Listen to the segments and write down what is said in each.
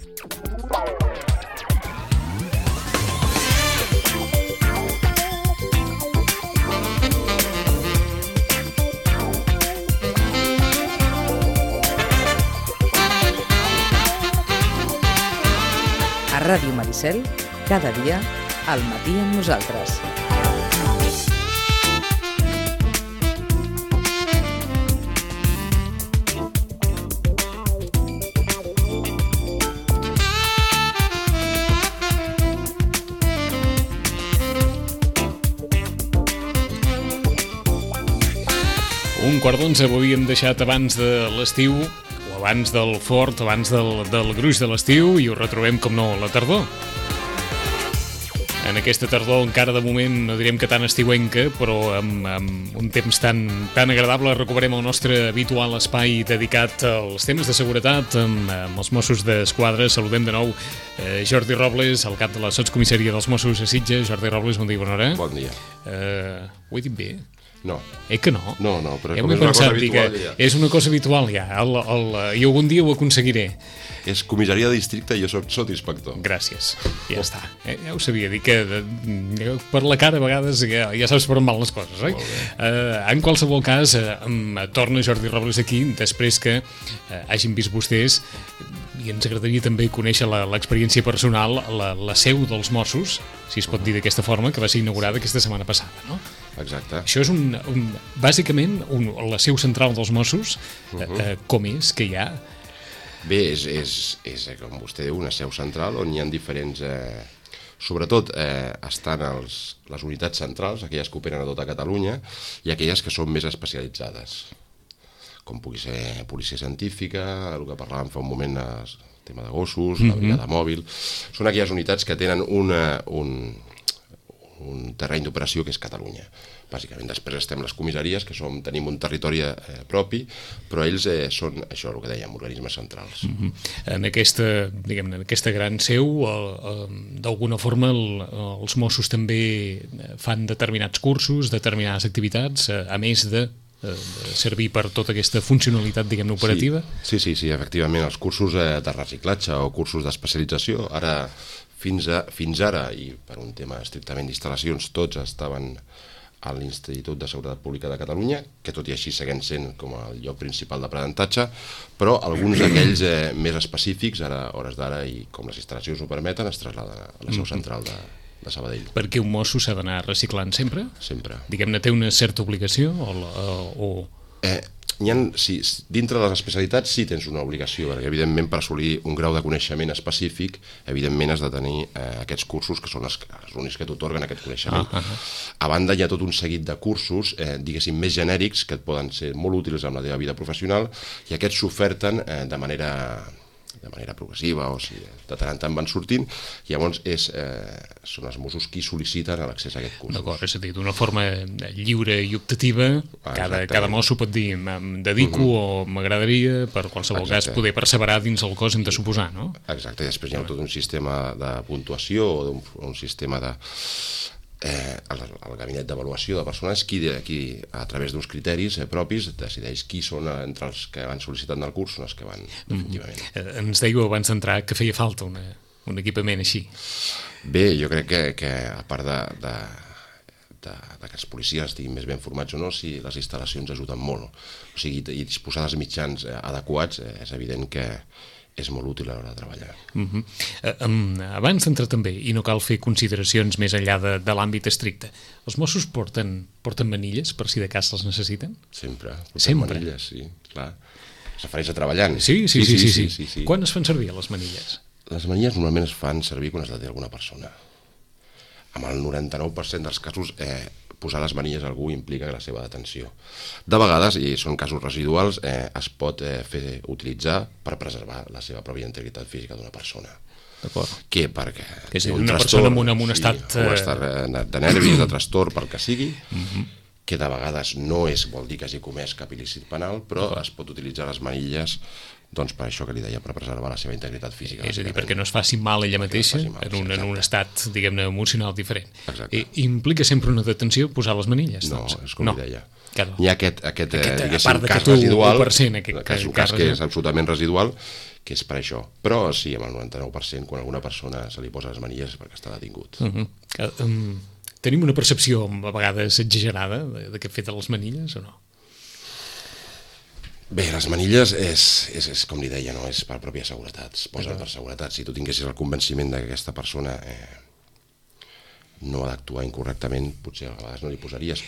A Ràdio Maricel, cada dia, al matí amb nosaltres. Un quart d'onze ho havíem deixat abans de l'estiu, o abans del fort, abans del gruix de l'estiu, i ho retrobem, com no, a la tardor. En aquesta tardor, encara de moment, no diríem que tan estiuenca, però amb un temps tan agradable, recuperem el nostre habitual espai dedicat als temes de seguretat amb els Mossos d'Esquadra. Saludem de nou Jordi Robles, el cap de la Sotscomissaria dels Mossos a Sitges. Jordi Robles, bon dia, bona hora. Bon dia. Ho he dit bé? No. Que no? No, però com és una cosa habitual ja. És una cosa habitual ja, i algun dia ho aconseguiré. És comissaria de districte i jo soc sotsinspector. Gràcies, ja està. Ja ho sabia, dir que per la cara a vegades ja saps per on van les coses, oi? En qualsevol cas, torna Jordi Robles aquí, després que hagin vist vostès, i ens agradaria també conèixer l'experiència personal, la seu dels Mossos, si es pot dir d'aquesta forma, que va ser inaugurada aquesta setmana passada, no? Exacte. Això és bàsicament la seu central dels Mossos. Com és que hi ha? Bé, és com vostè diu, una seu central on hi ha diferents... Sobretot estan les unitats centrals, aquelles que operen a tota Catalunya, i aquelles que són més especialitzades, com pugui ser policia científica, el que parlàvem fa un moment, el tema de gossos, la brigada mòbil. Són aquelles unitats que tenen un terreny d'operació que és Catalunya. Bàsicament, després estem les comissaries, que tenim un territori propi, però ells són, això, el que dèiem, organismes centrals. En aquesta gran seu, d'alguna forma, els Mossos també fan determinats cursos, determinades activitats, a més de servir per tota aquesta funcionalitat, diguem-ne, operativa? Sí, efectivament, els cursos de reciclatge o cursos d'especialització, fins ara, i per un tema estrictament d'instal·lacions, tots estaven a l'Institut de Seguretat Pública de Catalunya, que tot i així segueix sent com el lloc principal d'aprenentatge, però alguns d'aquells més específics, ara, hores d'ara, i com les instal·lacions ho permeten, es traslladen a la seu central de Sabadell. Perquè un mosso s'ha d'anar reciclant sempre? Sempre. Diguem-ne, té una certa obligació? Dintre de les especialitats sí tens una obligació, perquè evidentment per assolir un grau de coneixement específic, evidentment has de tenir aquests cursos que són els únics que t'atorguen aquest coneixement. A banda hi ha tot un seguit de cursos, diguéssim, més genèrics, que et poden ser molt útils en la teva vida professional, i aquests s'oferten de manera progressiva, o sigui, de tant en tant van sortint, i llavors són els Mossos qui sol·liciten l'accés a aquest curs. D'acord, és a dir, d'una forma lliure i optativa, cada mosso pot dir em dedico o m'agradaria, per qualsevol cas, poder perseverar dins el cos, hem de suposar, no? Exacte, i després hi ha tot un sistema de puntuació, o un sistema de... el gabinet d'avaluació de persones qui a través d'uns criteris propis decideix qui són entre els que van sol·licitant el curs, són els que van definitivament. Ens dèieu abans d'entrar que feia falta un equipament així. Bé, jo crec que a part de que els policies estiguin més ben formats o no, si les instal·lacions ajuden molt, o sigui, i disposar dels mitjans adequats, és evident que és molt útil a l'hora de treballar. Abans d'entrar també, i no cal fer consideracions més enllà de l'àmbit estricte, els Mossos porten manilles per si de cas les necessiten? Sempre. Sempre? Manilles, sí, clar. Es refereix a treballant. Sí. Quan es fan servir les manilles? Les manilles normalment es fan servir quan es deté alguna persona. Amb el 99% dels casos posar les manilles a algú implica la seva detenció. De vegades, i són casos residuals, es pot utilitzar per preservar la seva pròpia integritat física d'una persona. D'acord. Que perquè... Que és una persona amb un estat... un estat de nervis, de trastorn, pel que sigui, que de vegades no vol dir que hagi comès cap il·lícit penal, però es pot utilitzar les manilles doncs per això que li deia, per preservar la seva integritat física. És a dir, perquè no es faci mal ella mateixa en un estat, diguem-ne, emocional diferent. Implica sempre una detenció posar les manilles? No, és com li deia. Hi ha aquest cas residual, que és absolutament residual, és per això. Però sí, amb el 99%, quan alguna persona se li posa les manilles és perquè està detingut. Tenim una percepció a vegades exagerada d'aquest fet de les manilles o no? Bé, les manilles és com li deia, no? És per pròpia seguretat, es posen per seguretat. Si tu tinguessis el convenciment que aquesta persona no ha d'actuar incorrectament, potser a vegades no li posaries.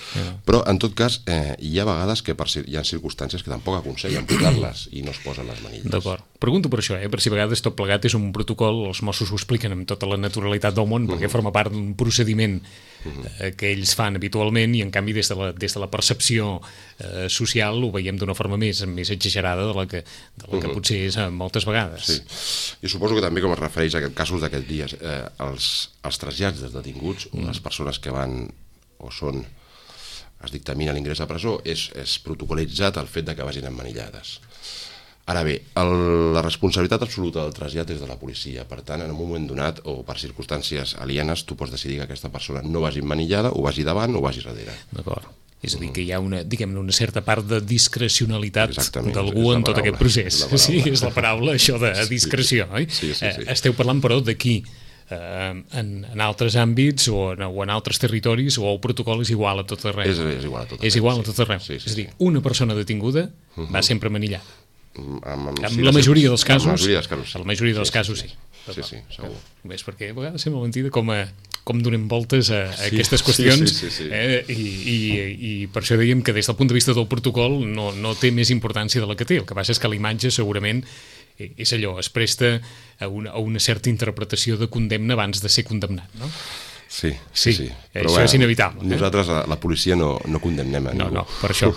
Però, en tot cas, hi ha vegades que hi ha circumstàncies que tampoc aconsellen posar-les i no es posen les manilles. D'acord. Pregunto per això, per si a vegades tot plegat és un protocol, els Mossos ho expliquen amb tota la naturalitat del món, perquè forma part d'un procediment que ells fan habitualment i, en canvi, des de la percepció social ho veiem d'una forma més exagerada de la que potser és moltes vegades. Sí. I suposo que també, com es refereix a casos d'aquests dies, els trasllats dels detinguts, les persones que van o són, es dictamina l'ingrés a presó, és protocolitzat el fet de que vagin emmanillades. Ara bé, la responsabilitat absoluta del trasllat és de la policia, per tant, en un moment donat o per circumstàncies alienes, tu pots decidir que aquesta persona no vagi emmanillada, o vagi davant o vagi darrere. D'acord. És a dir, que hi ha una certa part de discrecionalitat d'algú en tot aquest procés. Sí, és la paraula, això de discreció, oi? Sí. Esteu parlant, però, d'aquí en altres àmbits o en altres territoris, o el protocol és igual a tot arreu? És igual a tot arreu. És igual a tot arreu. És a dir, una persona detinguda va sempre manillada. Amb la majoria dels casos. La majoria dels casos, sí. Sí, segur. És perquè a vegades sembla mentida com donem voltes a aquestes qüestions. I per això dèiem que des del punt de vista del protocol no té més importància de la que té. El que passa és que l'imatge segurament és allò, es presta a una certa interpretació de condemna abans de ser condemnat, no? Sí. Però això és inevitable. Nosaltres, la policia, no condemnem a ningú. No, per això.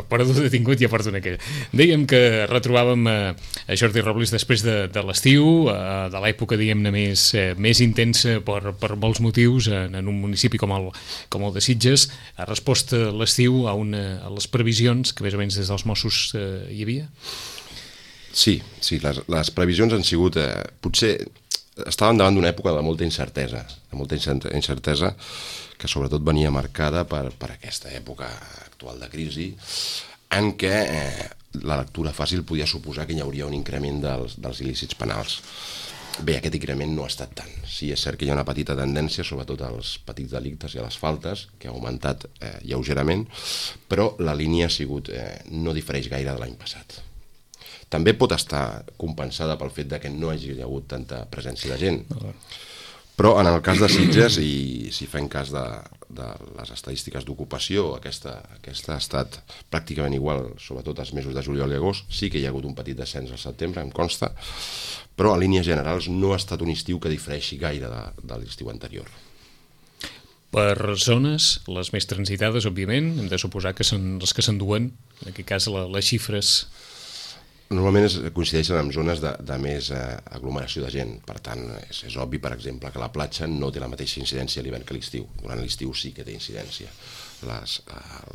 Per detingut ja porten aquell. Dèiem que retrobàvem a Jordi Robles després de l'estiu, de l'època, diguem-ne, més intensa per molts motius, en un municipi com el de Sitges. Ha respost l'estiu a les previsions que més o menys des dels Mossos hi havia? Sí, les previsions han sigut, potser estàvem davant d'una època de molta incertesa que sobretot venia marcada per aquesta època actual de crisi, en què la lectura fàcil podia suposar que hi hauria un increment dels il·lícits penals. Bé, aquest increment no ha estat tant. Sí, és cert que hi ha una petita tendència, sobretot als petits delictes i a les faltes, que ha augmentat lleugerament, però la línia ha sigut, no difereix gaire de l'any passat. També pot estar compensada pel fet que no hagi hagut tanta presència de gent. Però en el cas de Sitges, i si fem cas de les estadístiques d'ocupació, aquesta ha estat pràcticament igual, sobretot els mesos de juliol i agost. Sí que hi ha hagut un petit descens al setembre, em consta, però a línies generals no ha estat un estiu que difereixi gaire de l'estiu anterior. Per zones, les més transitades, òbviament, hem de suposar que són les que s'enduen, en aquest cas les xifres. Normalment coincideixen en zones de més aglomeració de gent. Per tant, és obvi, per exemple, que la platja no té la mateixa incidència a l'hivern que a l'estiu. Durant l'estiu sí que té incidència.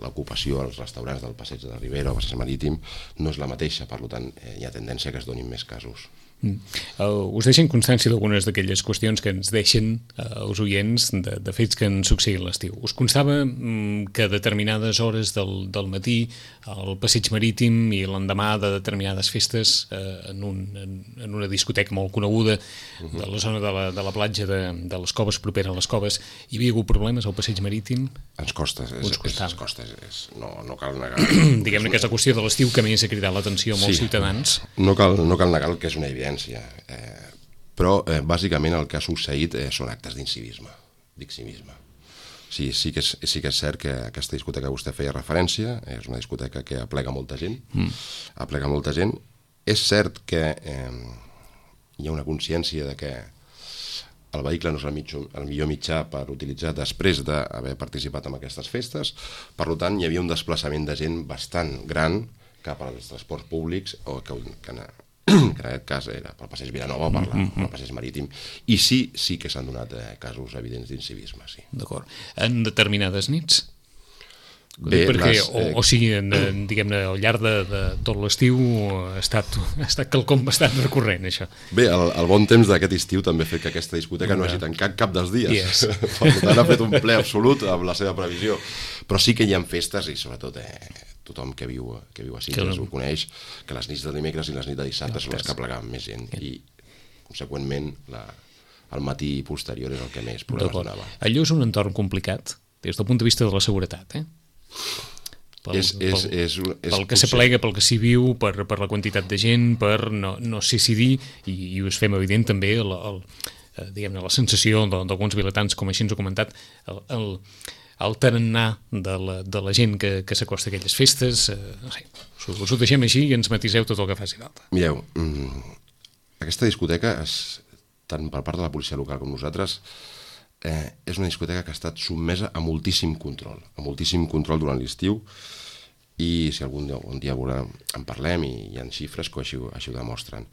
L'ocupació als restaurants del Passeig de la Ribera o Passeig Marítim no és la mateixa, per tant, hi ha tendència que es donin més casos. Us deixen constància d'algunes d'aquelles qüestions que ens deixen els oients de fets que han succeït l'estiu. Us constava que a determinades hores del matí al Passeig Marítim i l'endemà de determinades festes en una discoteca molt coneguda de la zona de la platja de les Coves, propera a les Coves, hi havia hagut problemes al Passeig Marítim? Ens costa, no cal negar. Diguem-ne que és la qüestió de l'estiu que més ha cridat l'atenció a molts ciutadans. No cal negar el que és una evidència, però bàsicament el que ha succeït són actes d'incivisme. Sí que és cert que aquesta discoteca que vostè feia referència és una discoteca que aplega molta gent. És cert que hi ha una consciència de que el vehicle no és el millor mitjà per utilitzar després d'haver participat en aquestes festes. Per tant, hi havia un desplaçament de gent bastant gran cap als transports públics, o que en aquest cas era pel Passeig Vilanova o pel Passeig Marítim, i sí que s'han donat casos evidents d'incivisme. D'acord. En determinades nits? Bé, o sigui, diguem-ne, al llarg de tot l'estiu ha estat quelcom bastant recurrent, això. Bé, el bon temps d'aquest estiu també ha fet que aquesta discoteca no hagi tancat cap dels dies. Per tant, ha fet un ple absolut amb la seva previsió. Però sí que hi ha festes, i sobretot tothom que viu a Sitges ho coneix, que les nits de dimecres i les nits de dissabte són les que plegaven més gent i, conseqüentment, el matí posterior és el que més problemes donava. Allò és un entorn complicat des del punt de vista de la seguretat, pel que s'aplega, pel que s'hi viu, per la quantitat de gent, per no sé si dir, i us fem evident també diguem-ne, la sensació d'alguns vilatans, com així ens ho ha comentat, el tarannà de la gent que s'acosta a aquelles festes. No sé, us ho deixem així i ens matiseu tot el que faci falta. Mireu, aquesta discoteca, tant per part de la policia local com nosaltres, és una discoteca que ha estat sotmesa a moltíssim control durant l'estiu, i si algun dia en parlem i hi ha xifres que així ho demostren.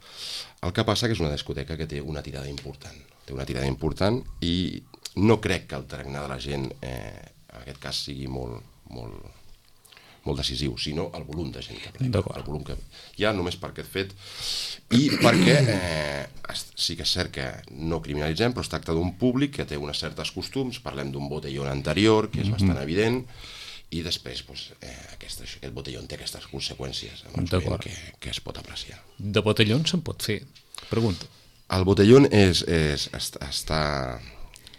El que passa que és una discoteca que té una tirada important, i no crec que el tarannà de la gent en aquest cas sigui molt decisiu, sinó el volum de gent que plega, el volum que hi ha només per aquest fet, i perquè sí que és cert que no criminalitzem, però es tracta d'un públic que té uns certs costums, parlem d'un botellón anterior que és bastant evident, i després aquest botellón té aquestes conseqüències que es pot apreciar. De botellón se'n pot fer? Pregunto. El botellón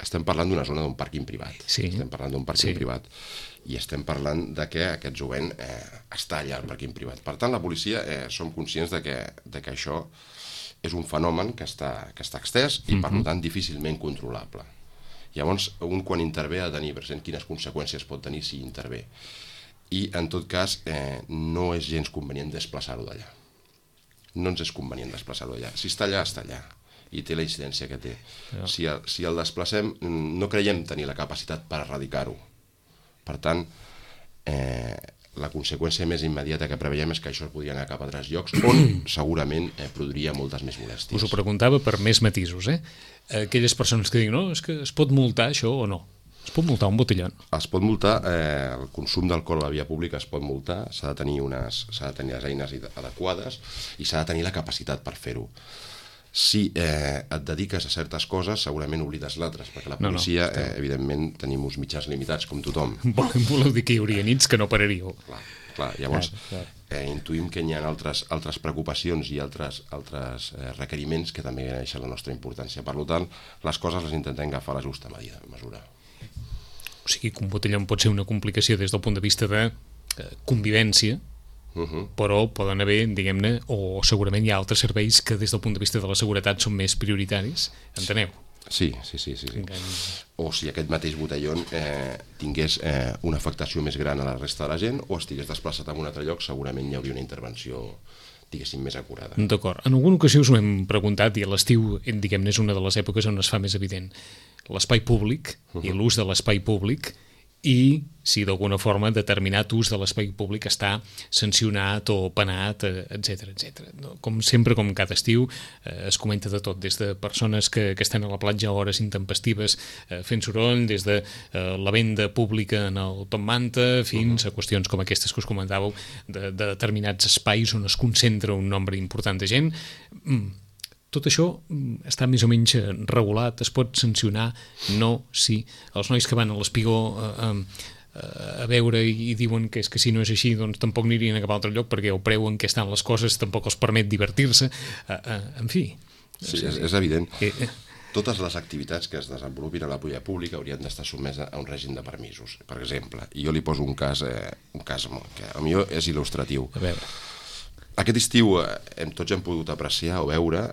estem parlant d'una zona d'un pàrquing privat. Estem parlant d'un pàrquing privat. I estem parlant de que aquest jovent està allà al pàrquing privat. Per tant, la policia som conscients de que això és un fenomen que està extès i, per tant, difícilment controlable. Llavors, quan intervé ha de tenir present quines conseqüències pot tenir si intervé. I, en tot cas, no és gens convenient desplaçar-ho d'allà. No ens és convenient desplaçar-ho d'allà. Si està allà, està allà. I té la incidència que té. Si el desplacem, no creiem tenir la capacitat per erradicar-ho. Per tant, la conseqüència més immediata que preveiem és que això podria anar cap a altres llocs on segurament produiria moltes més molèsties. Us ho preguntava per més matisos, aquelles persones que diuen, no, és que es pot multar això o no? Es pot multar un botellón? Es pot multar, el consum d'alcohol a la via pública es pot multar, s'ha de tenir les eines adequades i s'ha de tenir la capacitat per fer-ho. Si et dediques a certes coses, segurament oblides l'altres, perquè la policia, evidentment, tenim uns mitjans limitats, com tothom. Voleu dir que hi hauria nits que no pararíeu. Clar, llavors intuïm que hi ha altres preocupacions i altres requeriments que també deixen la nostra importància. Per tant, les coses les intentem agafar a la justa mesura. O sigui que un botellón pot ser una complicació des del punt de vista de convivència, però poden haver, diguem-ne, o segurament hi ha altres serveis que des del punt de vista de la seguretat són més prioritaris, enteneu? Sí. O si aquest mateix botellón tingués una afectació més gran a la resta de la gent o estigués desplaçat en un altre lloc, segurament hi hauria una intervenció, diguéssim, més acurada. D'acord. En alguna ocasió us ho hem preguntat, i a l'estiu, diguem-ne, és una de les èpoques on es fa més evident l'espai públic i l'ús de l'espai públic, i si d'alguna forma determinat ús de l'espai públic està sancionat o penat, etc. Com sempre, com cada estiu, es comenta de tot, des de persones que estan a la platja a hores intempestives fent soroll, des de la venda pública en el Top Manta, fins a qüestions com aquestes que us comentàveu, de determinats espais on es concentra un nombre important de gent. Tot això està més o menys regulat, es pot sancionar, no, sí. Els nois que van a l'Espigó a veure i diuen que és que si no és així doncs tampoc anirien a cap altre lloc perquè el preu en què estan les coses tampoc els permet divertir-se, en fi. Sí, és evident. Totes les activitats que es desenvolupin a la via pública haurien d'estar sotmeses a un règim de permisos. Per exemple, i jo li poso un cas que potser és il·lustratiu. A veure. Aquest estiu tots hem pogut apreciar o veure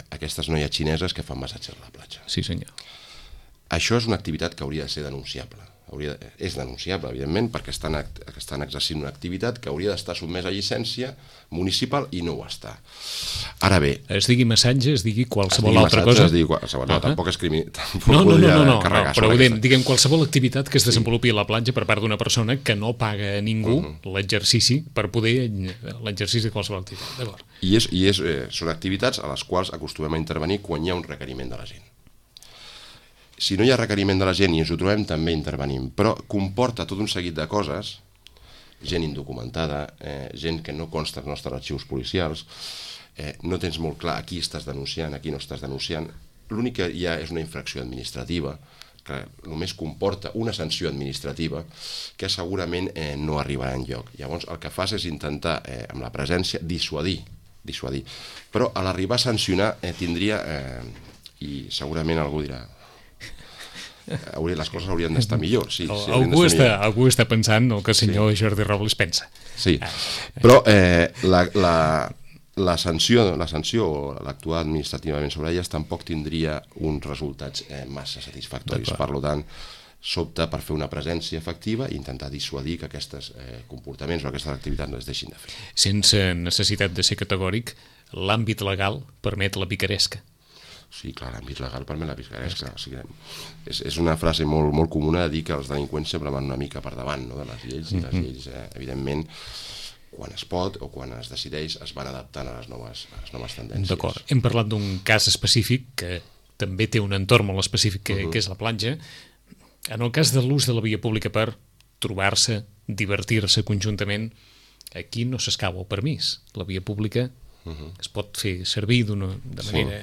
aquestes noies xineses que fan massatges a la platja. Sí, senyor. Això és una activitat que hauria de ser denunciable. És denunciable, evidentment, perquè estan exercint una activitat que hauria d'estar sotmesa a llicència municipal i no ho està. Ara bé... Es digui massatge, es digui qualsevol altra cosa? Es digui qualsevol, no, tampoc és No, però diguem qualsevol activitat que es desenvolupi a la platja per part d'una persona que no paga a ningú l'exercici per poder l'exercici de qualsevol activitat, d'acord? I són activitats a les quals acostumem a intervenir quan hi ha un requeriment de la gent. Si no hi ha requeriment de la gent i ens ho trobem, també intervenim. Però comporta tot un seguit de coses, gent indocumentada, gent que no consta als nostres arxius policials, no tens molt clar a qui estàs denunciant, a qui no estàs denunciant. L'únic que hi ha és una infracció administrativa, que només comporta una sanció administrativa que segurament no arribarà enlloc. Llavors el que fas és intentar, amb la presència, dissuadir. Però a l'arribar a sancionar tindria, i segurament algú dirà, les coses haurien d'estar millor. Sí, algú està pensant el que el senyor Jordi Robles pensa. Sí, però la sanció o l'actuar administrativament sobre elles tampoc tindria uns resultats massa satisfactoris. Per tant, s'opta per fer una presència efectiva i intentar dissuadir que aquests comportaments o aquestes activitats no es deixin de fer. Sense necessitat de ser categòric, l'àmbit legal permet la picaresca. Sí, clar, l'àmbit legal permet la picaresca. O sigui, és una frase molt comuna de dir que els delinqüents sempre van una mica per davant de les lleis, i les lleis, evidentment, quan es pot o quan es decideix, es van adaptant a les noves tendències. D'acord. Hem parlat d'un cas específic que també té un entorn molt específic, que és la platja. En el cas de l'ús de la via pública per trobar-se, divertir-se conjuntament, aquí no s'escau el permís. La via pública es pot fer servir de manera,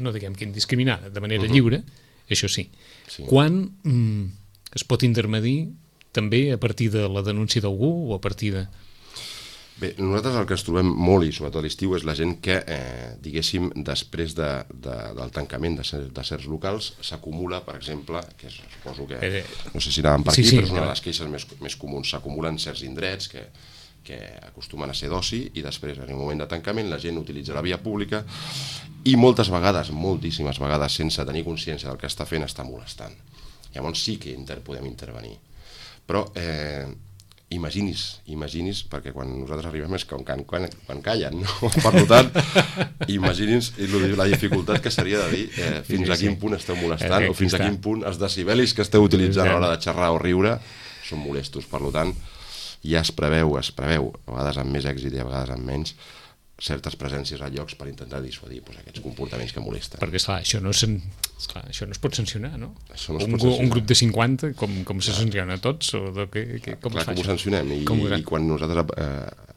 no diguem que indiscriminada, de manera lliure, això sí. Quan es pot intermedir també a partir de la denúncia d'algú o a partir de... Bé, nosaltres el que ens trobem molt, i sobretot a l'estiu, és la gent que, diguéssim, després del tancament de certs locals, s'acumula, per exemple, que suposo que, no sé si anàvem per aquí, però és una de les queixes més comuns, s'acumulen certs indrets que acostumen a ser d'oci, i després, en un moment de tancament, la gent utilitza la via pública i moltes vegades, moltíssimes vegades, sense tenir consciència del que està fent, està molestant. Llavors sí que podem intervenir. Però imagini's, perquè quan nosaltres arribem és quan callen, no? Per tant, imagini's la dificultat que seria de dir fins a quin punt esteu molestant o fins a quin punt els decibelis que esteu utilitzant a l'hora de xerrar o riure són molestos. Per tant, ja es preveu, a vegades amb més èxit i a vegades amb menys, certes presències a llocs per intentar dissuadir aquests comportaments que molesten. Perquè, esclar, això no es pot sancionar, no? Un grup de 50, com se sanciona a tots? Com es fa això? Clar, com ho sancionem, i quan nosaltres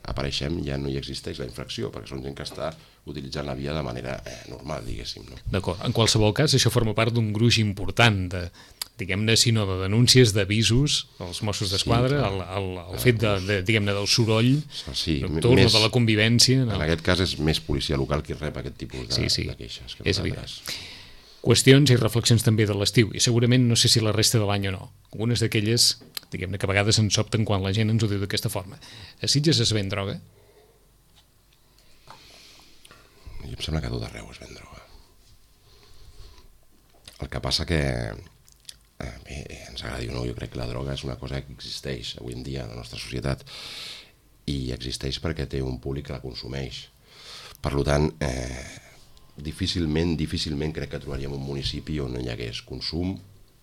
apareixem ja no hi existeix la infracció, perquè són gent que està utilitzant la via de manera normal, diguéssim. D'acord. En qualsevol cas, això forma part d'un gruix important de, diguem-ne, sinó de denúncies, d'avisos als Mossos d'Esquadra, el fet diguem-ne, del soroll nocturn o de la convivència. En aquest cas és més policia local qui rep aquest tipus de queixes. És evident. Qüestions i reflexions també de l'estiu, i segurament no sé si la resta de l'any o no. Algunes d'aquelles, diguem-ne, que a vegades ens sobten quan la gent ens ho diu d'aquesta forma. A Sitges es ven droga? I em sembla que a tot arreu es ven droga. El que passa que bé, ens agradi o no, jo crec que la droga és una cosa que existeix avui en dia a la nostra societat, i existeix perquè té un públic que la consumeix. Per tant, difícilment crec que trobaríem un municipi on no hi hagués consum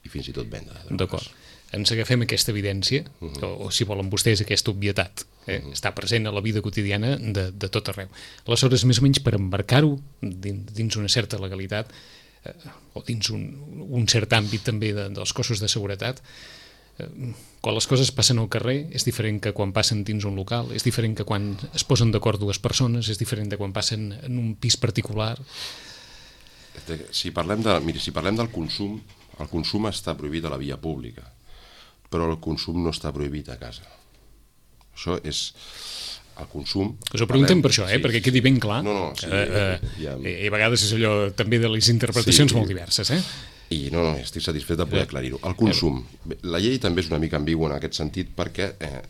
i fins i tot venda de drogues. D'acord. Ens agafem aquesta evidència, o si volen vostès aquesta obvietat, està present a la vida quotidiana de tot arreu. Aleshores, més o menys per embarcar-ho dins una certa legalitat, o dins un cert àmbit també dels cossos de seguretat, quan les coses passen al carrer és diferent que quan passen dins un local, és diferent que quan es posen d'acord dues persones, és diferent de quan passen en un pis particular. Si parlem del consum, el consum està prohibit a la via pública, però el consum no està prohibit a casa. Això és... el consum... Us ho preguntem per això, perquè quedi ben clar. I a vegades és allò també de les interpretacions molt diverses, I no, estic satisfet de poder aclarir-ho. El consum. La llei també és una mica ambigua en aquest sentit perquè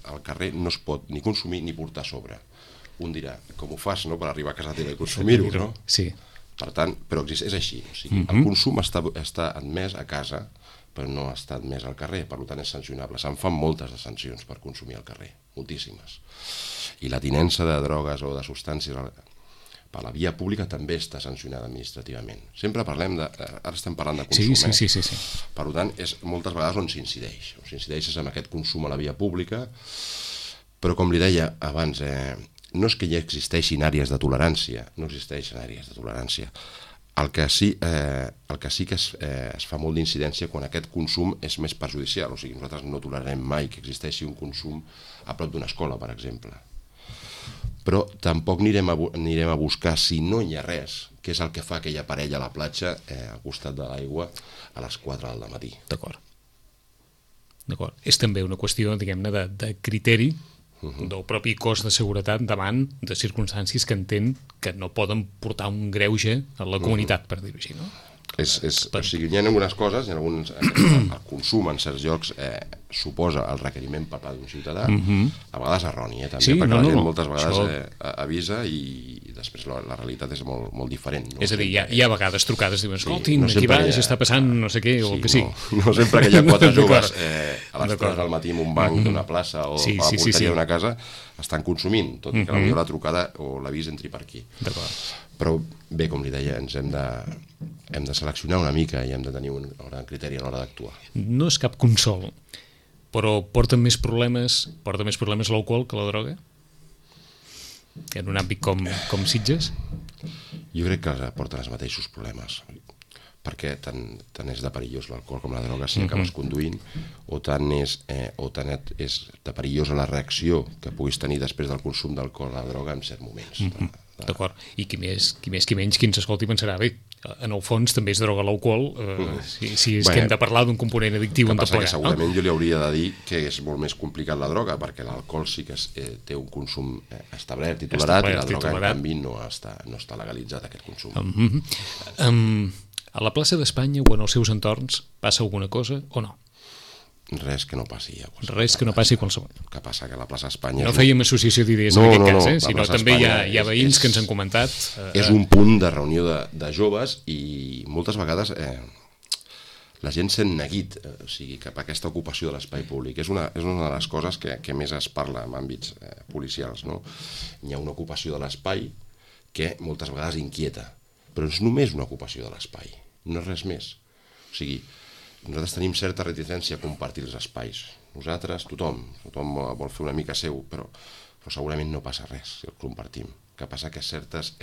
al carrer no es pot ni consumir ni portar a sobre. Un dirà, com ho fas per arribar a casa teva i consumir-ho, no? Sí. Per tant, però és així. O sigui, el consum està admès a casa, però no està admès al carrer, per tant és sancionable. Se'n fan moltes de sancions per consumir al carrer, moltíssimes. I la tinença de drogues o de substàncies per la via pública també està sancionada administrativament. Sempre parlem de... Ara estem parlant de consum, Sí. Per tant, és moltes vegades on s'incideix. On s'incideix és amb aquest consum a la via pública, però com li deia abans, no és que hi existeixin àrees de tolerància, no existeixen àrees de tolerància. El que sí que es fa molt d'incidència quan aquest consum és més perjudicial, o sigui, nosaltres no tolerarem mai que existeixi un consum a prop d'una escola, per exemple. però tampoc anirem a buscar, si no hi ha res, què és el que fa aquella parella a la platja al costat de l'aigua a les 4 del matí. D'acord. És també una qüestió, diguem-ne, de criteri del propi cos de seguretat davant de circumstàncies que entén que no poden portar un greuge a la comunitat, per dir-ho així, no? O sigui, hi ha algunes coses, el consum en certs llocs suposa el requeriment per part d'un ciutadà, a vegades erroni, també, perquè la gent moltes vegades avisa i després la realitat és molt, molt diferent. És a dir, hi ha vegades trucades, diuen, escoltin, aquí baix està passant no sé què, o el que sigui. No sempre que hi ha 4 joves a les 3 del matí en un banc d'una plaça o a la porteria d'una casa estan consumint, tot i que potser la trucada o l'avís entri per aquí. Però bé, com li deia, ens hem de seleccionar una mica i hem de tenir un gran criteri a l'hora d'actuar. No és cap consol, però porta més problemes l'alcohol que la droga? En un àmbit com Sitges? Jo crec que porten els mateixos problemes, perquè tant és de perillós l'alcohol com la droga si acabes conduint, o tant és de perillosa la reacció que puguis tenir després del consum d'alcohol o la droga en certs moments. D'acord, i qui més qui menys, qui ens escolti pensarà, bé, en el fons també és droga l'alcohol, si és que hem de parlar d'un component addictiu en tot plegat. Segurament jo li hauria de dir que és molt més complicat la droga, perquè l'alcohol sí que té un consum establert i tolerat, i la droga en canvi no està legalitzat aquest consum. A la plaça d'Espanya o en els seus entorns passa alguna cosa o no? Res que no passi a qualsevol. Res que no passi a qualsevol. El que passa que la plaça Espanya... No fèiem associació d'idees en aquest cas, sinó també hi ha veïns que ens han comentat... És un punt de reunió de joves i moltes vegades la gent sent neguit, o sigui, cap a aquesta ocupació de l'espai públic. És una de les coses que més es parla en àmbits policials, no? Hi ha una ocupació de l'espai que moltes vegades inquieta, però és només una ocupació de l'espai, no és res més. O sigui, nosaltres tenim certa reticència a compartir els espais. Nosaltres, tothom vol fer una mica seu, però segurament no passa res si el compartim. El que passa que certes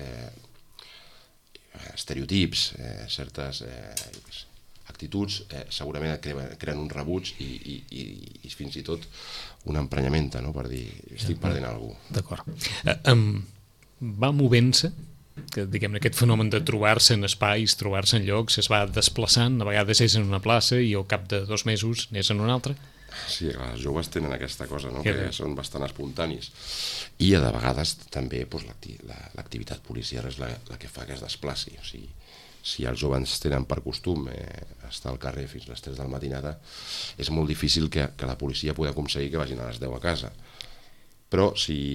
estereotips, certes actituds segurament creen un rebuig i fins i tot una emprenyamenta, no? Per dir, estic perdent algú. D'acord. Va movent-se que, diguem-ne, aquest fenomen de trobar-se en espais, trobar-se en llocs, es va desplaçant, a vegades és en una plaça i al cap de 2 mesos n'és en una altra? Sí, els joves tenen aquesta cosa, no? Que són bastant espontanis. I de vegades també l'activitat policial és la que fa que es desplaci. O sigui, si els joves tenen per costum estar al carrer fins a les 3 del matinada, és molt difícil que la policia pugui aconseguir que vagin a les 10 a casa. Però si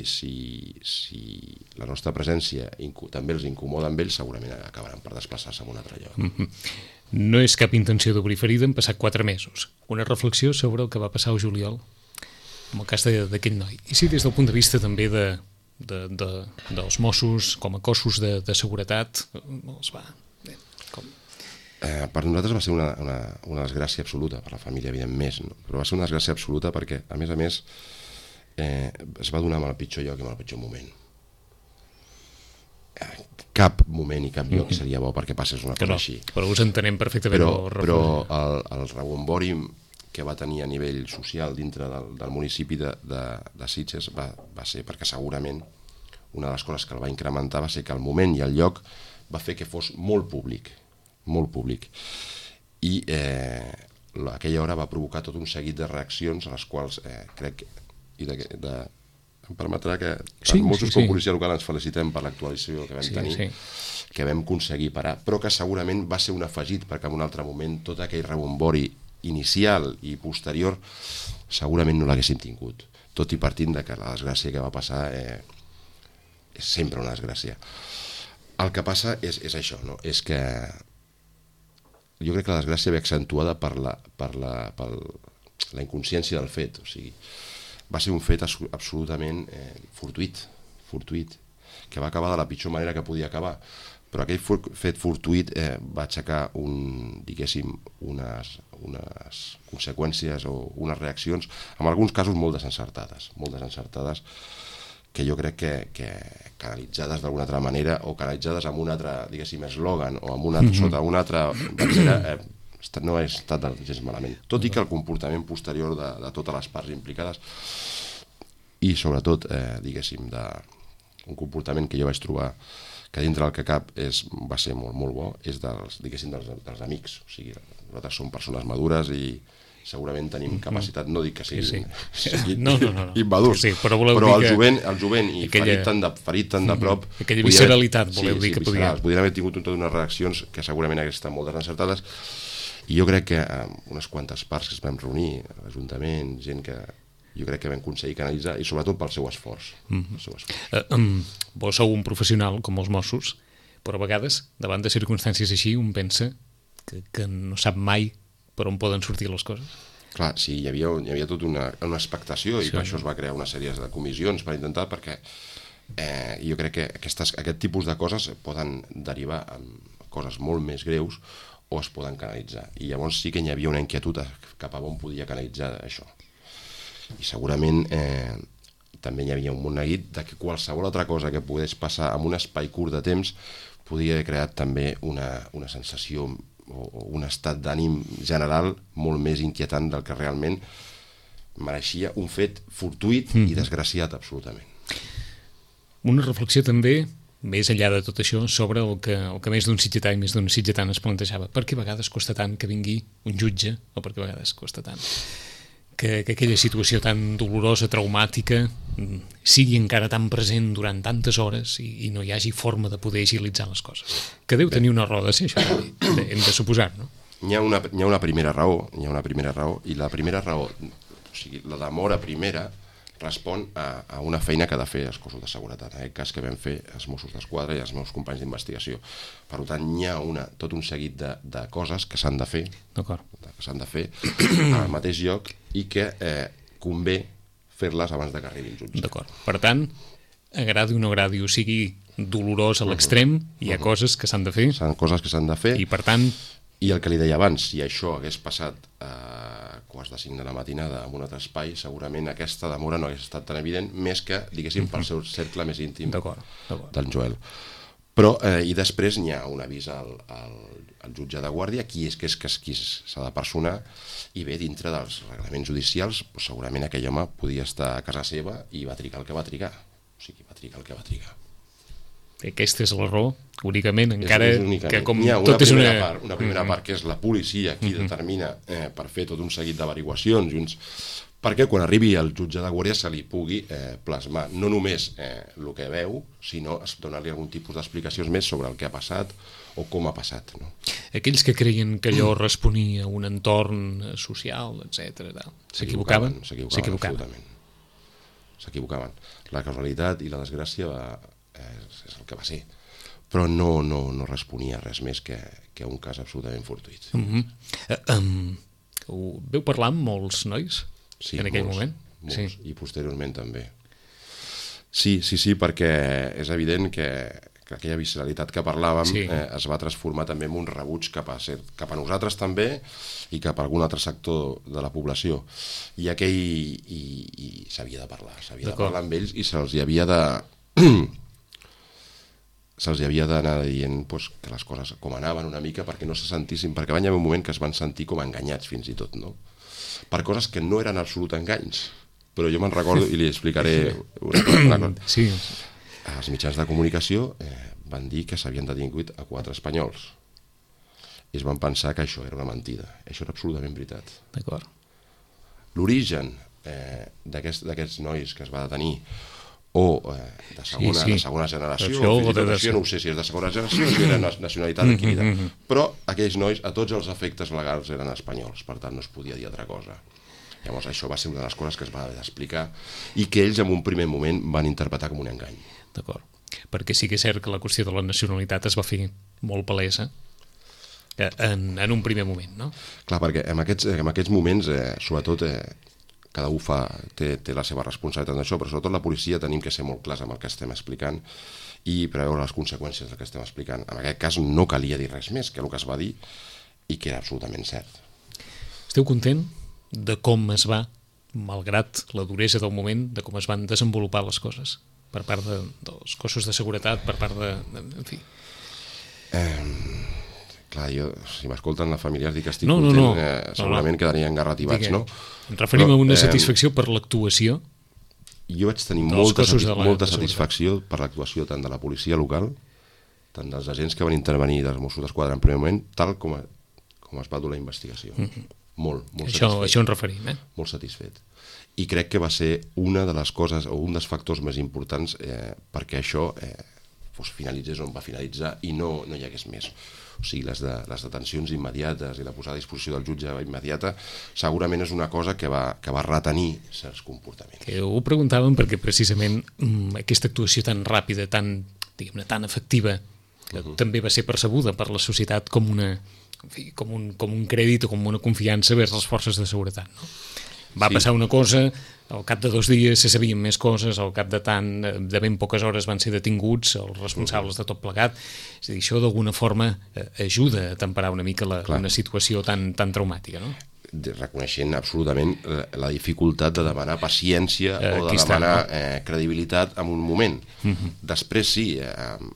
la nostra presència també els incomoda amb ells, segurament acabaran per desplaçar-se a un altre lloc. No és cap intenció d'obrir ferida, han passat 4 mesos. Una reflexió sobre el que va passar al juliol, en el cas d'aquell noi. I si des del punt de vista també dels Mossos, com a cossos de seguretat, els va... Per nosaltres va ser una desgràcia absoluta, per la família evidentment, no? Però va ser una desgràcia absoluta perquè, a més, es va donar en el pitjor lloc i en el pitjor moment. Cap moment i cap lloc seria bo perquè passés una cosa així. Però us entenem perfectament. Però el rebombori que va tenir a nivell social dintre del municipi de Sitges va ser perquè segurament una de les coses que el va incrementar va ser que el moment i el lloc va fer que fos molt públic, i aquella hora va provocar tot un seguit de reaccions a les quals crec em permetrà que tant Mossos com Policia Local ens felicitem per l'actualització que vam tenir, que vam aconseguir parar, però que segurament va ser un afegit perquè en un altre moment tot aquell rebombori inicial i posterior segurament no l'haguéssim tingut, tot i partint de que la desgràcia que va passar és sempre una desgràcia. El que passa és això, no? És que jo crec que la desgràcia ve accentuada per la inconsciència del fet, o sigui, va ser un fet absolutament fortuït, que va acabar de la pitjor manera que podia acabar, però aquell fet fortuït va aixecar unes conseqüències o unes reaccions, en alguns casos molt desencertades, que jo crec que canalitzades d'alguna altra manera o canalitzades amb un altre, diguéssim, eslògan o sota una altra bandera, no ha estat gens malament, tot i que el comportament posterior de totes les parts implicades i sobretot, diguéssim, un comportament que jo vaig trobar que dintre del que cap va ser molt, molt bo, és dels amics. O sigui, nosaltres som persones madures i segurament tenim capacitat, no dic que siguin immadurs, però el jovent i ferit tan de prop, aquella visceralitat, voleu dir que podia... Podrien haver tingut totes unes reaccions que segurament haguessin estat molt desencertades, i jo crec que unes quantes parts que es vam reunir, l'Ajuntament, gent que jo crec que vam aconseguir canalitzar, i sobretot pel seu esforç. Vos sou un professional, com els Mossos, però a vegades, davant de circumstàncies així, un pensa que no sap mai per on poden sortir les coses. Clar, sí, hi havia tota una expectació, i per això es va crear una sèrie de comissions per intentar, perquè jo crec que aquest tipus de coses poden derivar en coses molt més greus o es poden canalitzar. I llavors sí que hi havia una inquietud cap a on podia canalitzar això. I segurament també hi havia un neguit de que qualsevol altra cosa que pogués passar en un espai curt de temps podia haver creat també una sensació o un estat d'ànim general molt més inquietant del que realment mereixia un fet fortuït i desgraciat absolutament. Una reflexió també, més enllà de tot això, sobre el que més d'un sitgetà i més d'un sitgetana es plantejava. Per què a vegades costa tant que vingui un jutge, o per què a vegades costa tant que aquella situació tan dolorosa, traumàtica, sigui encara tan present durant tantes hores i no hi hagi forma de poder agilitzar les coses. Que deu tenir una raó de ser, això, hem de suposar, no? Hi ha una primera raó, i la primera raó, o sigui, la demora primera, respon a una feina que ha de fer els cossos de seguretat, en aquest cas que vam fer els Mossos d'Esquadra i els meus companys d'investigació. Per tant, hi ha tot un seguit de coses que s'han de fer, al mateix lloc, i que convé fer-les abans que arribi el jutge. D'acord. Per tant, agradi o no agradi, o sigui dolorós a l'extrem, hi ha coses que s'han de fer. Són coses que s'han de fer. I per tant... I el que li deia abans, si això hagués passat a 4:45 de la matinada en un altre espai, segurament aquesta demora no hagués estat tan evident, més que, diguéssim, pel seu cercle més íntim del Joel. Però, i després n'hi ha un avís al jutge de guàrdia, qui s'ha de personar, i bé, dintre dels reglaments judicials, segurament aquell home podia estar a casa seva i va trigar el que va trigar. O sigui, va trigar el que va trigar. Aquesta és la raó, únicament, encara que com tot és una primera part, que és la policia qui determina per fer tot un seguit d'averiguacions, perquè quan arribi el jutge de guàrdia se li pugui plasmar no només el que veu, sinó donar-li algun tipus d'explicacions més sobre el que ha passat o com ha passat. Aquells que creien que allò responia a un entorn social, etc., s'equivocaven? Absolutament. S'equivocaven. La casualitat i la desgràcia és el que va ser, però no responia res més que un cas absolutament fortuït. Veu parlar amb molts nois en aquell moment? Molts, i posteriorment també. Sí, perquè és evident que aquella visceralitat que parlàvem es va transformar també en un rebuig cap a nosaltres també i cap a algun altre sector de la població. I s'havia de parlar amb ells i se'ls havia d'anar dient que les coses com anaven una mica perquè no se sentissin, perquè va haver un moment que es van sentir com enganyats fins i tot, no? Per coses que no eren absolut enganys, però jo me'n recordo i li explicaré una cosa. Sí. Els mitjans de comunicació van dir que s'havien detingut a 4 espanyols i es van pensar que això era una mentida. Això era absolutament veritat. D'acord. L'origen d'aquests nois que es va detenir o de segona generació, no sé si és de segona generació o si era nacionalitat adquirida, però aquells nois a tots els efectes legals eren espanyols, per tant no es podia dir altra cosa. Llavors això va ser una de les coses que es va haver d'explicar i que ells en un primer moment van interpretar com un engany. D'acord, perquè sí que és cert que la qüestió de la nacionalitat es va fer molt palesa en un primer moment, no? Clar, perquè en aquests moments, sobretot, cada un té la seva responsabilitat en això, però sobretot la policia tenim que ser molt clars amb el que estem explicant i preveure les conseqüències del que estem explicant. En aquest cas no calia dir res més que el que es va dir i que era absolutament cert. Esteu content de com es va, malgrat la duresa del moment, de com es van desenvolupar les coses per part dels cossos de seguretat, per part en fi? Clar, si m'escolten la familiars dic que estic content, segurament quedarien garrativats, no? Ens referim a una satisfacció per l'actuació jo vaig tenir molta satisfacció per l'actuació tant de la policia local, tant dels agents que van intervenir dels Mossos d'Esquadra en primer moment, tal com es va dur la investigació. Molt satisfet. Això ens referim, Molt satisfet. I crec que va ser una de les coses, o un dels factors més importants perquè això finalitzés on va finalitzar i no hi hagués més. O sigui, les detencions immediates i la posada a disposició del jutge immediata segurament és una cosa que va retenir certs comportaments. Que ho preguntàvem perquè precisament aquesta actuació tan ràpida, tan efectiva, que també va ser percebuda per la societat com un crèdit o com una confiança vers les forces de seguretat, no? Va passar una cosa, al cap de 2 dies se sabien més coses, al cap de ben poques hores van ser detinguts els responsables de tot plegat. És a dir, això d'alguna forma ajuda a temperar una mica una situació tan traumàtica, no? Reconeixent absolutament la dificultat de demanar paciència o de demanar credibilitat en un moment. Després sí, en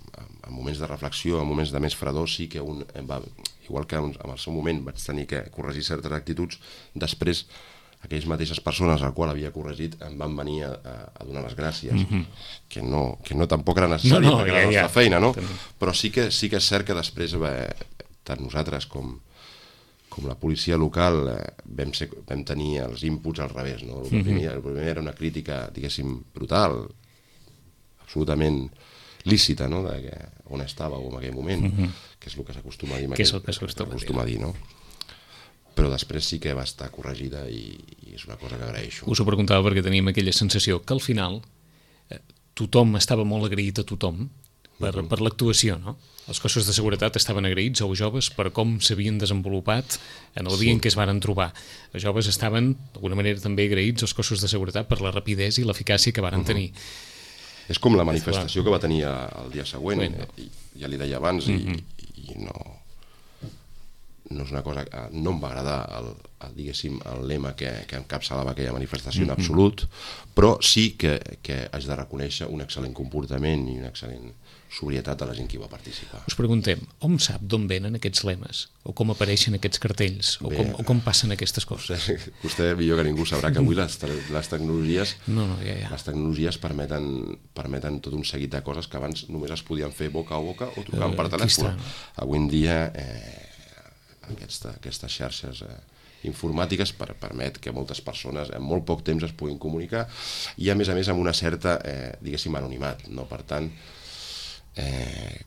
moments de reflexió, en moments de més fredor, sí que igual que en el seu moment vaig tenir que corregir certes actituds, després aquelles mateixes persones al qual havia corregit em van venir a donar les gràcies, que no tampoc era necessari perquè era la nostra feina, no? Però sí que és cert que després tant nosaltres com la policia local vam tenir els inputs al revés, no? El primer era una crítica, diguéssim, brutal, absolutament lícita, no? On estàveu en aquell moment, que és el que s'acostuma a dir, que és el que s'acostuma a dir, no? Però després sí que va estar corregida i és una cosa que agraeixo. Us ho preguntava perquè teníem aquella sensació que al final tothom estava molt agraït a tothom per l'actuació, no? Els cossos de seguretat estaven agraïts als joves per com s'havien desenvolupat en el dia en què es varen trobar. Els joves estaven, d'alguna manera, també agraïts als cossos de seguretat per la rapidesa i l'eficàcia que varen tenir. És com la manifestació que va tenir el dia següent, ja li deia abans, i no és una cosa que no em va agradar diguéssim, el lema que encapçalava aquella manifestació en absolut, però sí que haig de reconèixer un excel·lent comportament i una excel·lent sobrietat de la gent que hi va participar. Us preguntem, hom sap d'on venen aquests lemes? O com apareixen aquests cartells? O com passen aquestes coses? Vostè millor que ningú sabrà que avui les tecnologies les tecnologies permeten tot un seguit de coses que abans només es podien fer boca a boca o trucant per telèfon. Avui en dia aquestes xarxes informàtiques permet que moltes persones en molt poc temps es puguin comunicar i a més amb una certa, diguéssim, anonimat, no? Per tant,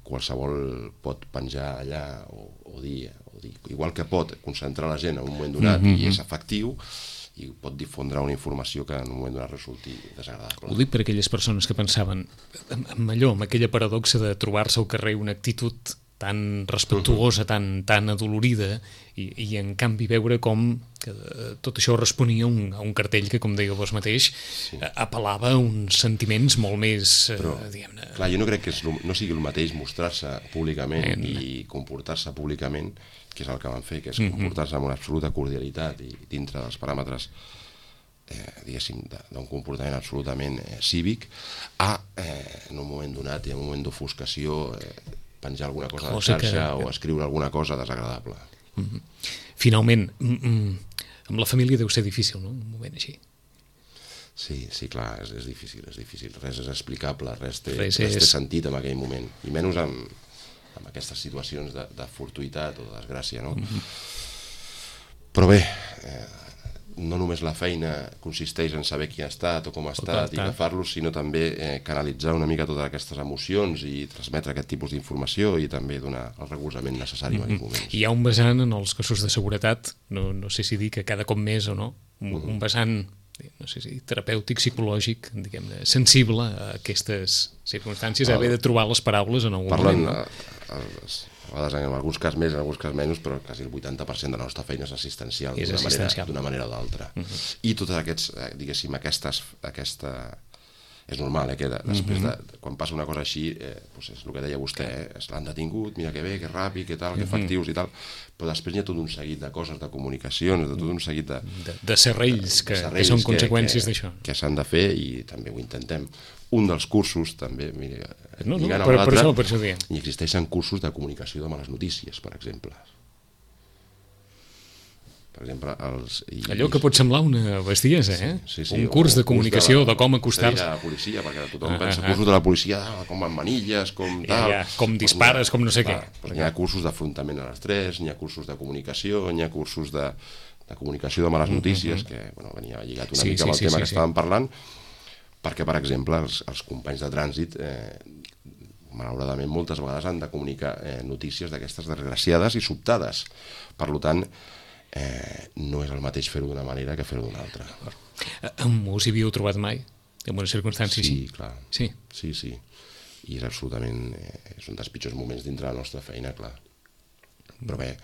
qualsevol pot penjar allà o dir, igual que pot concentrar la gent en un moment donat i és efectiu, i pot difondre una informació que en un moment donat resulti desagradable. Ho dic per aquelles persones que pensaven amb aquella paradoxa de trobar-se al carrer una actitud tan respectuosa, tan adolorida, i en canvi veure com tot això responia a un cartell que, com deia vos mateix, apel·lava a uns sentiments molt més, diguem-ne... Clar, jo no crec que no sigui el mateix mostrar-se públicament i comportar-se públicament, que és el que van fer, que és comportar-se amb una absoluta cordialitat i dintre dels paràmetres, diguéssim, d'un comportament absolutament cívic, en un moment donat i en un moment d'ofuscació, penjar alguna cosa a la xarxa o escriure alguna cosa desagradable. Finalment, amb la família deu ser difícil, no?, un moment així. Sí, clar, és difícil. Res és explicable, res té sentit en aquell moment, i menys amb aquestes situacions de fortuïtat o de desgràcia, no? Però bé, no només la feina consisteix en saber qui ha estat o com ha estat i agafar-los, sinó també canalitzar una mica totes aquestes emocions i transmetre aquest tipus d'informació i també donar el recolzament necessari en aquells moments. Hi ha un vessant en els cossos de seguretat, no sé si dir que cada cop més o no, un vessant, no sé si terapèutic, psicològic, diguem-ne, sensible a aquestes circumstàncies, haver de trobar les paraules en algun moment. A vegades en alguns casos més, en alguns casos menys, però quasi el 80% de la nostra feina és assistencial d'una manera o d'altra. I totes aquests, diguéssim, és normal que després, quan passa una cosa així, és el que deia vostè, l'han detingut, mira que bé, que ràpid, que tal, que efectius i tal, però després hi ha tot un seguit de coses, de comunicacions, de tot un seguit de serrells que són conseqüències d'això. Que s'han de fer i també ho intentem. Un dels cursos, també, lligant per això diem. Hi existeixen cursos de comunicació de males notícies, per exemple. per exemple... Allò que pot semblar una bestiesa, Sí. Un curs de comunicació, de com acostar-se. De la policia, perquè tothom pensa cursos de la policia, com amb manilles, com tal... Com dispares, com no sé què. Hi ha cursos d'afrontament a l'estrès, n'hi ha cursos de comunicació, n'hi ha cursos de comunicació de males notícies, que venia lligat una mica amb el tema que estàvem parlant, perquè, per exemple, els companys de trànsit... malauradament moltes vegades han de comunicar notícies d'aquestes desgraciades i sobtades. Per tant, no és el mateix fer-ho d'una manera que fer-ho d'una altra. Us hi havíeu trobat mai? En una circumstància així? Sí, clar. Sí. I és absolutament... és un dels pitjors moments dintre la nostra feina, clar. Però bé,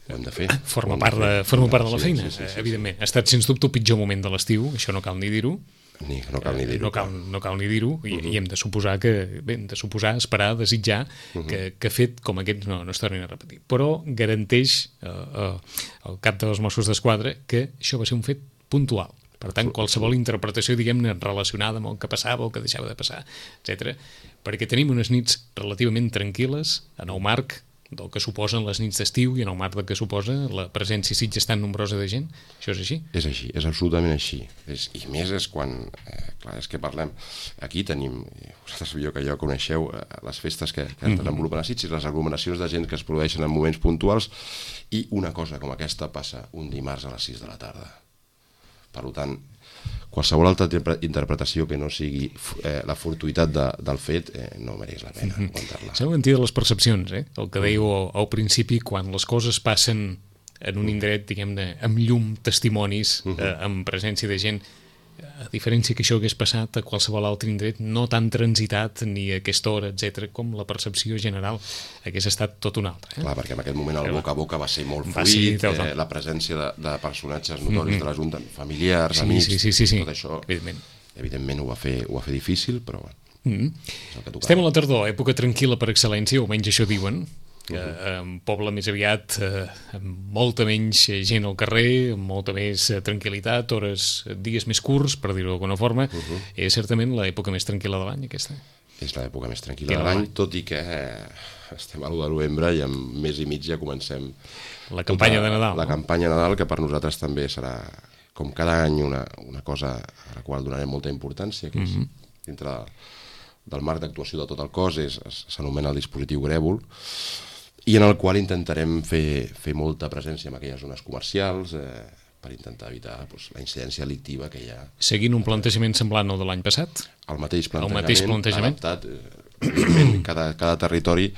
ho hem de fer. Forma part de la feina, evidentment. Ha estat, sens dubte, el pitjor moment de l'estiu, això no cal ni dir-ho. No cal ni dir-ho. No cal ni dir-ho, i hem de suposar esperar, desitjar que fet com aquest no es tornin a repetir. Però garanteix el cap dels Mossos d'Esquadra que això va ser un fet puntual. Per tant, qualsevol interpretació, diguem-ne, relacionada amb el que passava o el que deixava de passar, etc. Perquè tenim unes nits relativament tranquil·les en el marc del que suposen les nits d'estiu i en el marc del que suposa la presència a Sitges tan nombrosa de gent. Això és així? És així, és absolutament així. I més és quan... clar, és que parlem... Aquí tenim, vosaltres millor que jo coneixeu les festes que es desenvolupen a Sitges, les aglomeracions de gent que es produeixen en moments puntuals, i una cosa com aquesta passa un dimarts a les 6 de la tarda. Per tant, qualsevol altra interpretació que no sigui la fortuïtat del fet no mereix la pena aguantar-la. S'ha mentit de les percepcions, el que dèieu al principi, quan les coses passen en un indret, diguem-ne, amb llum, testimonis, amb presència de gent, a diferència que això hagués passat a qualsevol altre indret, no tan transitat ni a aquesta hora, etc, com la percepció general hagués estat tot una altra. Clar, perquè en aquest moment el boca a boca va ser molt fluid, la presència de personatges notoris de la Junta, familiars, amics, tot això, evidentment ho va fer difícil, però estem a la tardor, època tranquil·la per excel·lència, o almenys això diuen, un poble més aviat amb molta menys gent al carrer, amb molta més tranquil·litat, dies més curts, per dir-ho d'alguna forma. És certament l'època més tranquil·la de l'any, aquesta. És l'època més tranquil·la de l'any, tot i que estem a l'1 de novembre i en mes i mig ja comencem la campanya de Nadal. La campanya de Nadal, que per nosaltres també serà, com cada any, una cosa a la qual donarem molta importància, que és dintre del marc d'actuació de tot el cos, s'anomena el dispositiu Grèvol, i en el qual intentarem fer molta presència en aquelles zones comercials per intentar evitar la incidència delictiva que hi ha. Seguint un plantejament semblant al de l'any passat? El mateix plantejament. Adaptat, cada territori,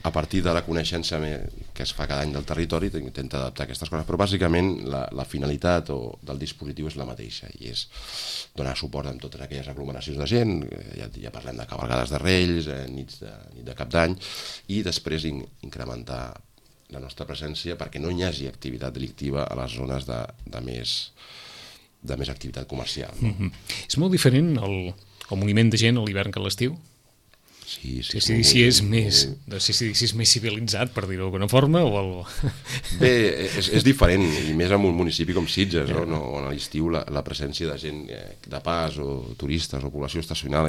a partir de la coneixença que es fa cada any del territori, intenta adaptar aquestes coses, però bàsicament la finalitat del dispositiu és la mateixa, i és donar suport en totes aquelles aglomeracions de gent, ja parlem de cavalgades de Reis, nit de Cap d'Any, i després incrementar la nostra presència perquè no hi hagi activitat delictiva a les zones de més activitat comercial. És molt diferent el moviment de gent a l'hivern que a l'estiu? Sí, si és més civilitzat, per dir-ho d'alguna forma, o... Bé, és diferent, i més en un municipi com Sitges, on a l'estiu la presència de gent de pas o turistes o població estacional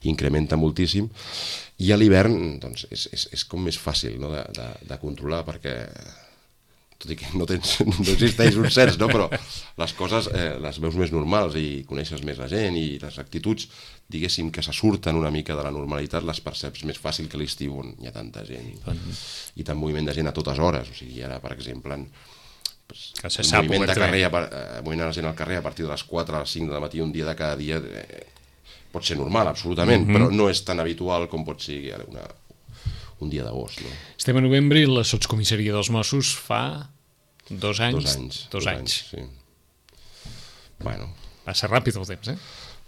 incrementa moltíssim, i a l'hivern és com més fàcil de controlar, perquè tot i que no existeix un cens, però les coses les veus més normals i coneixes més la gent, i les actituds, diguéssim, que se surten una mica de la normalitat, les perceps més fàcil que l'estiu, on hi ha tanta gent i tant moviment de gent a totes hores. O sigui, ara, per exemple, el moviment de carrer, moviment de la gent al carrer a partir de les 4 a les 5 de matí, un dia de cada dia, pot ser normal, absolutament, però no és tan habitual com pot ser un dia d'agost. Estem a novembre i la sotscomissaria dels Mossos fa 2 anys. 2 anys. Sí. Bueno. Passa ràpid el temps,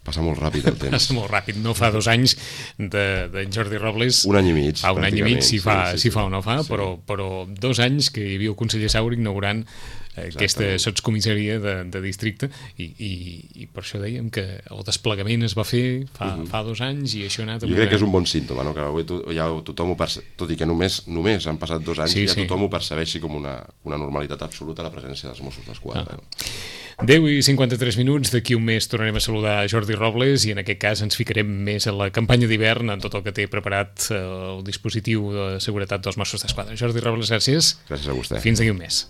Passa molt ràpid el temps. Passa molt ràpid. No fa 2 anys d'en Jordi Robles. Un any i mig. Un any i mig, si fa o no fa, però 2 anys que hi havia el conseller Saura inaugurant aquesta sotscomissaria de districte i per això dèiem que el desplegament es va fer fa 2 anys i això ha anat... Jo crec que és un bon símptoma, no? Que avui ja tothom ho percep, tot i que només han passat 2 anys, ja tothom ho percebeixi com una normalitat absoluta la presència dels Mossos d'Esquadra. 10:53, d'aquí un mes tornarem a saludar Jordi Robles i en aquest cas ens ficarem més en la campanya d'hivern, en tot el que té preparat el dispositiu de seguretat dels Mossos d'Esquadra. Jordi Robles, gràcies. Gràcies a vostè. Fins d'aquí un mes.